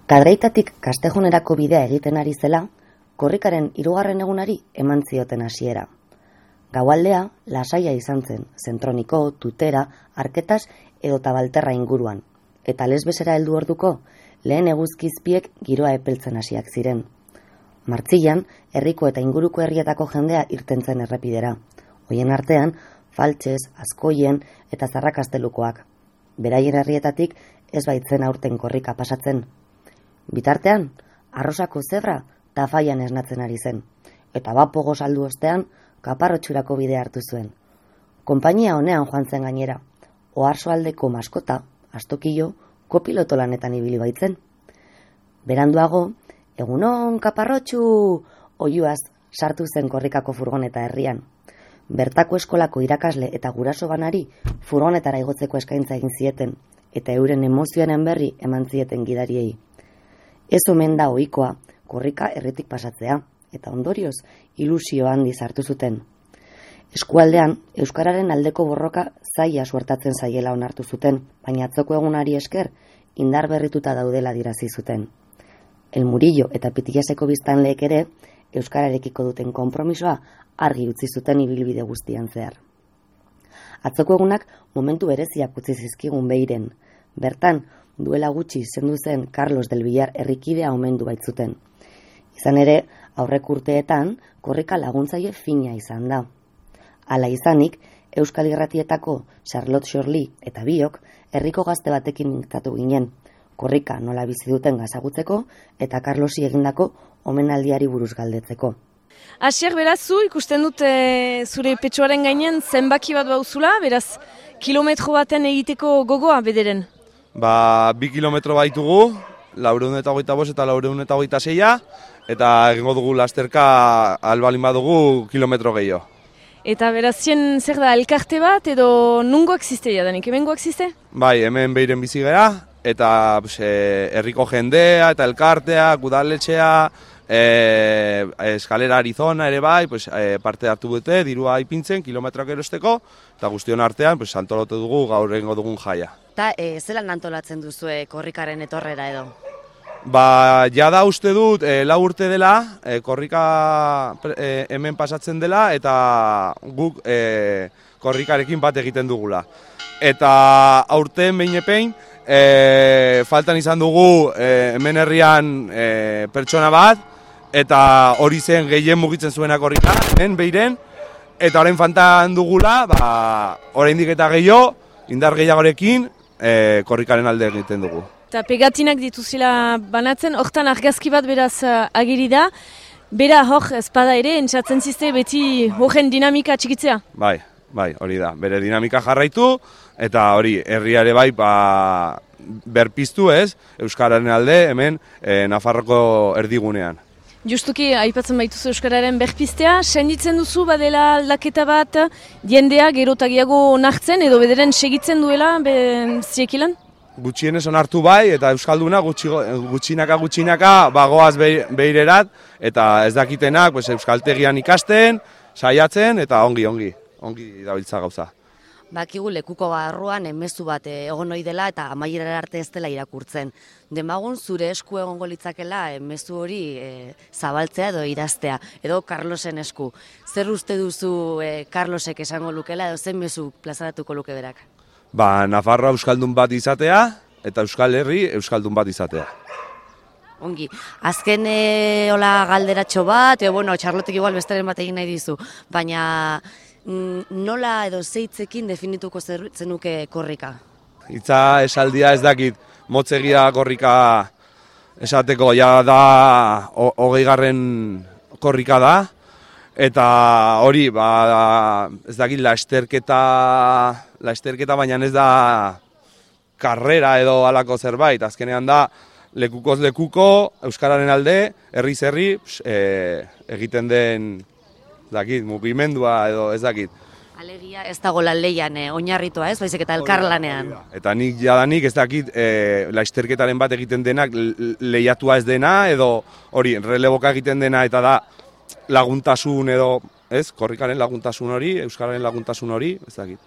Kadreitatik Kastejunerako bidea egiten ari zela, korrikaren 3. egunari eman zioten hasiera. Gaualdea lasaia izan zen, Zentroniko, Tutera, Arketas edo Tabalterra inguruan, eta Lesbesera heldu orduko lehen eguzkizpiek giroa epeltzen hasiak ziren. Martzilan, herriko eta inguruko herrietako jendea irtentzen errepidera. Hoien artean, Faltses, Azkoien eta Zarrakastelukoak. Beraien herrietatik ez baitzen aurten korrika pasatzen. Bitartean, Arrosako zebra Tafaian esnatzen ari zen, eta bapogo saldu ostean Kaparrotxurako bidea hartu zuen. Konpainia honean joan zen gainera, Oarsoaldeko maskota, Astokillo, kopiloto lanetan ibili baitzen. Beranduago, egunon Kaparrotxu, oihuaz sartu zen korrikako furgoneta herrian. Bertako eskolako irakasle eta guraso banari furgonetara igotzeko eskaintza egin zieten, eta euren emozioaren berri eman zieten gidariei. Ez omen da ohikoa korrika herritik pasatzea, eta ondorioz ilusio handiz hartu zuten. Eskualdean, euskararen aldeko borroka zaila suertatzen zaiela onartu zuten, baina atzoko egunari esker indar berrituta daudela dirazi zuten. El Murillo eta Pitiaseko biztanleek ere euskararekiko duten konpromisoa argi utzi zuten ibilbide guztian zehar. Atzoko egunak momentu bereziak utzi zizkigun Beiren. Bertan, duela gutxi zendu zen Carlos del Villar herrikidea omendu baitzuten. Izan ere, aurrek urteetan, korrika laguntzaile fina izan da. Hala izanik, Euskal Irratietako Charlotte Xorli eta biok herriko gazte batekin mintzatu ginen, korrika nola bizi duten gazagutzeko eta Carlosi egindako omenaldiari buruz galdetzeko. Asier, beraz, zu ikusten dut zure petxoaren gainen zenbaki bat bauzula, beraz, kilometro baten egiteko gogoa bederen? 2 kilometro baitugu, 425 eta 426, eta egingo dugu lasterka albalin badugu kilometro gehiago. Eta beraz, zer da, elkarte bat edo nungo existe jadanik, hemengo existe? Bai, hemen Beiren bizi gara, eta herriko jendea eta elkartea, udaletxea, eskalera Arizona ere bai, parte hartu dute, dirua ipintzen, kilometroak erosteko, eta guztion artean antolatu dugu gaur egingo dugun jaia. Eta zelan antolatzen duzue korrikaren etorrera edo? Jada uste dut, 4 urte dela, korrika hemen pasatzen dela, eta guk korrikarekin bat egiten dugula. Eta aurten behin epein, faltan izan dugu hemen herrian pertsona bat, eta hori zen gehien mugitzen zuena korrika, hemen Beiren, eta orain faltan dugula, oraindik eta gehiago, indar gehiagorekin, korrikaren alde egiten dugu. Eta pegatinak dituzila banatzen, hortan argazki bat beraz agiri da, bera hor espada ere, entzatzen zizte beti horren dinamika txikitzea? Bai, hori da, bere dinamika jarraitu, eta hori, herriare bai, berpiztu ez, euskararen alde hemen Nafarroko erdigunean. Justuki, aipatzen baituzu euskararen berpiztea, senditzen duzu badela aldaketa bat, jendea gerotagiago onartzen edo bederen segitzen duela ziekilan? Gutxienez onartu bai, eta euskalduna gutxinaka bagoaz Beirerat, eta ez dakitenak euskaltegian ikasten, saiatzen, eta ongi dabiltza gauza. Bakigu lekuko barruan mezu bat egon ohi dela eta amaierara arte ez dela irakurtzen. Demagun zure esku egongo litzakela mezu hori zabaltzea edo idaztea, edo Carlosen esku. Zer uste duzu Carlosek esango lukela edo zen mezu plazaratuko luke berak? Nafarroa euskaldun bat izatea eta Euskal Herri euskaldun bat izatea. Ongi, azken hola galderatxo bat, Charlotek igual besteren bat egin nahi dizu, baina nola edo zeitzekin definituko zenuke korrika? Hitza esaldia ez dakit, motzegia korrika esateko, ja da 20. korrika da, eta hori, ez dakit, lasterketa baina ez da karrera edo halako zerbait, azkenean da lekukoz lekuko, euskararen alde, herriz herri, egiten den mugimendua edo ez dakit. Alegia ez dago leian oinarritua ez, baizik eta elkarlanean. Eta nik jadanik ez dakit lasterketaren bat egiten denak lehiatua ez dena edo hori releboka egiten dena eta da laguntasun edo, ez, korrikaren laguntasun hori, euskararen laguntasun hori, ez dakit.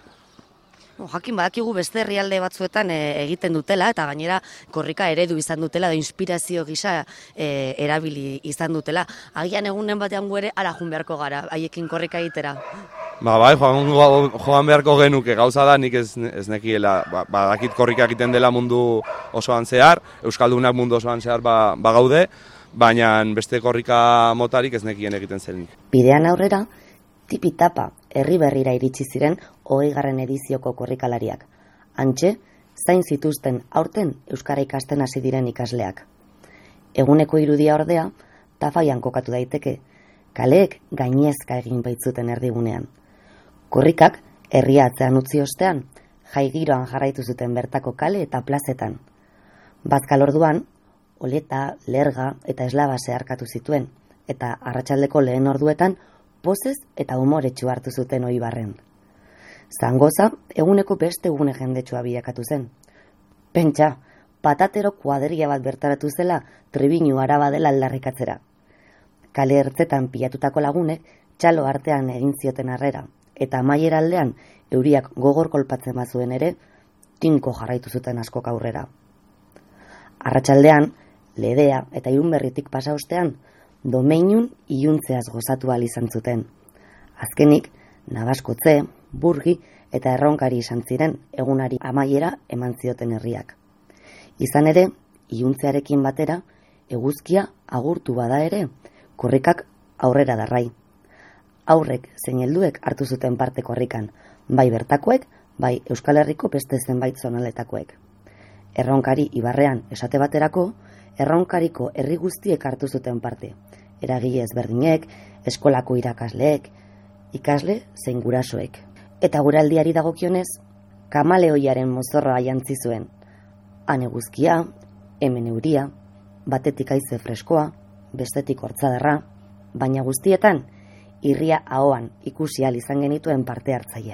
Jakin badakigu beste herrialde batzuetan egiten dutela, eta gainera korrika eredu izan dutela, da inspirazio gisa erabili izan dutela. Agian egunen batean gu ere ara joan beharko gara, haiekin korrika egitera. Bai, joan beharko genuke, gauza da nik ez nekiela, badakit korrika egiten dela mundu osoan zehar, Euskaldunak mundu osoan zehar bagaude, baina beste korrika motarik ez nekien egiten zenik. Bidean aurrera, tipi-tapa herri berrira iritsi ziren 20. edizioko korrikalariak. Hantxe, zain zituzten aurten euskara ikasten hasi diren ikasleak. Eguneko irudia ordea, tafaian kokatu daiteke, kaleek gainezka egin baitzuten erdigunean. Korrikak herria atzean utzi ostean, jai giroan jarraitu zuten bertako kale eta plazetan. Bazkal orduan, oleta, lerga eta eslaba zeharkatu zituen, eta arratsaldeko lehen orduetan pozez eta umoretsu hartu zuten oibarren. Zangoza, eguneko beste gune jendetsua bilakatu zen. Pentsa, patatero kuadria bat bertaratu zela Trebinu Araba dela aldarrikatzera. Kale ertzetan pilatutako lagunek txalo artean egin zioten harrera, eta amaiera aldean euriak gogor kolpatzen bazuen ere, tinko jarraitu zuten askok aurrera. Arratsaldean, ledea eta Irunberritik pasa ostean, domeinun iluntzeaz gozatu ahal izan zuten. Azkenik, Nabaskotze, Burgi eta Erronkari izan ziren egunari amaiera eman zioten herriak. Izan ere, iluntzearekin batera, eguzkia agurtu bada ere, korrikak aurrera darrai. Aurrek zein helduek hartu zuten parte korrikan, bai bertakoek, bai Euskal Herriko beste zenbait zonaletakoek. Erronkari ibarrean esate baterako, Erronkariko herri guztiek hartu zuten parte. Eragile ezberdinek, eskolako irakasleek, ikasle zein gurasoek. Eta guraldiari dagokionez, kamaleoiaren mozorroa jantzi zuen. Han eguzkia, hemen euria, batetik haize freskoa, bestetik hortzadarra, baina guztietan, irria ahoan ikusi ahal izan genituen parte hartzailea.